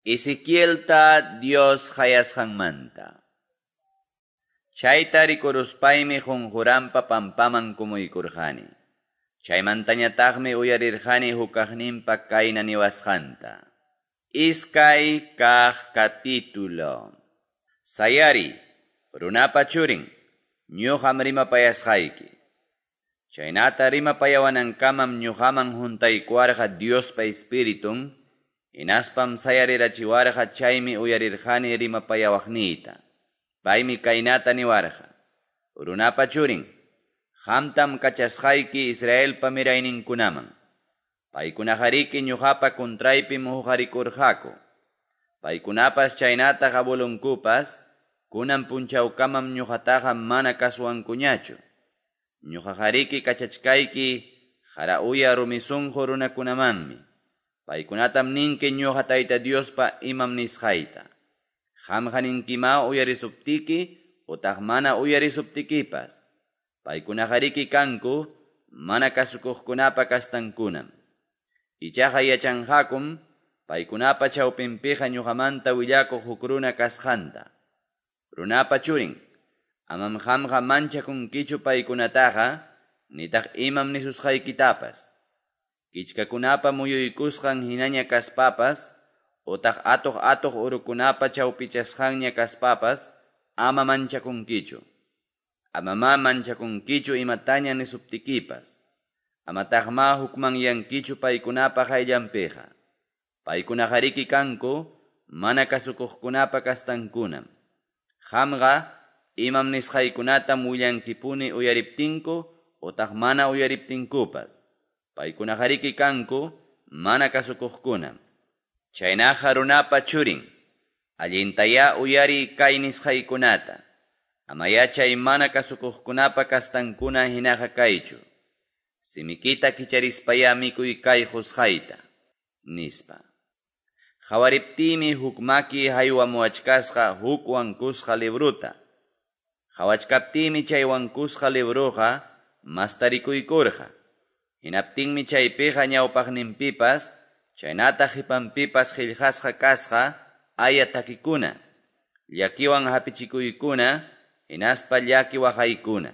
Ezequielta Dios qayasqanmanta. Chayta rikuruspaymi qonqoranpa pampaman kumuykurqani. Chaymantañataqmi uyarirqani hukkaqninpa kayna niwasqanta. Iskay kaq capítulo. Sayariy, runapa churin, ñuqam rimapayasqayki. Chaynata rimapayawanankamam ñuqaman huntaykuwarqa Diospa Espiritun, hinaspam sayarirachiwarqa chaymi uyarirqani rimapayawaqniyta. Paymi kaynata niwarqa: Runapa churin, qamtam kachasqayki Israelpa mirayninkunaman. Paykunaqariki ñuqapa contraypim huqarikurqaku. Paykunapas chaynataq abuelonkupas kunan punchawkamam ñuqataqa mana kasuwankuñachu. Ñuqaqariki kachachkayki qara uya rumi sunqu runakunamanmi. Paykunatam ninki ñuqa Tayta Diospa imam nisqayta. Qamqa ninkimá uyarisuptiki utaq mana uyarisuptikipas. Paykunaqariki kanku mana kasukuqkunapa kastankunam. Ichaqa yachanqakum paykunapa chawpinpiqa ñuqamanta willakuq huk runa kasqanta. Runapa churin, amam qamqa manchakunkichu paykunataqa, nitaq imam nisusqaykitapas. Kichkakunapa muyuykusqan hinaña kaspapas, utaq atuq-atuq urukunapa chawpichasqanña kaspapas, ama manchakunkichu. Amamá manchakunkichu imataña nisuptikipas. Amataqmá hukmanyankichu paykunapa qayllanpiqa. Paykunaqariki kanku mana kasukuqkunapa kastankunam. Qamqa imam nisqaykunatam willankipuni uyariptinku utaq mana uyariptinkupas. Paykunaqariki kanku mana kasukuqkunam. Chaynaqa runapa churin, allintayá uyariy kay nisqaykunata. Amayá chay mana kasukuqkunapa kastankuna hinaqa kaychu. Simikita kicharispayá mikuy kay qusqayta, nispa. Qawariptiymi huk maki haywamuwachkasqa huk wankusqa libruta. Qawachkaptiymi chay wankusqa libruqa mastarikuykurqa. Hinaptinmi chaypiqa ñawpaqninpipas, chaynataq qipanpipas qillqasqa kasqa aya takikuna, llakiwan hapichikuykuna, hinaspa llaki waqaykuna.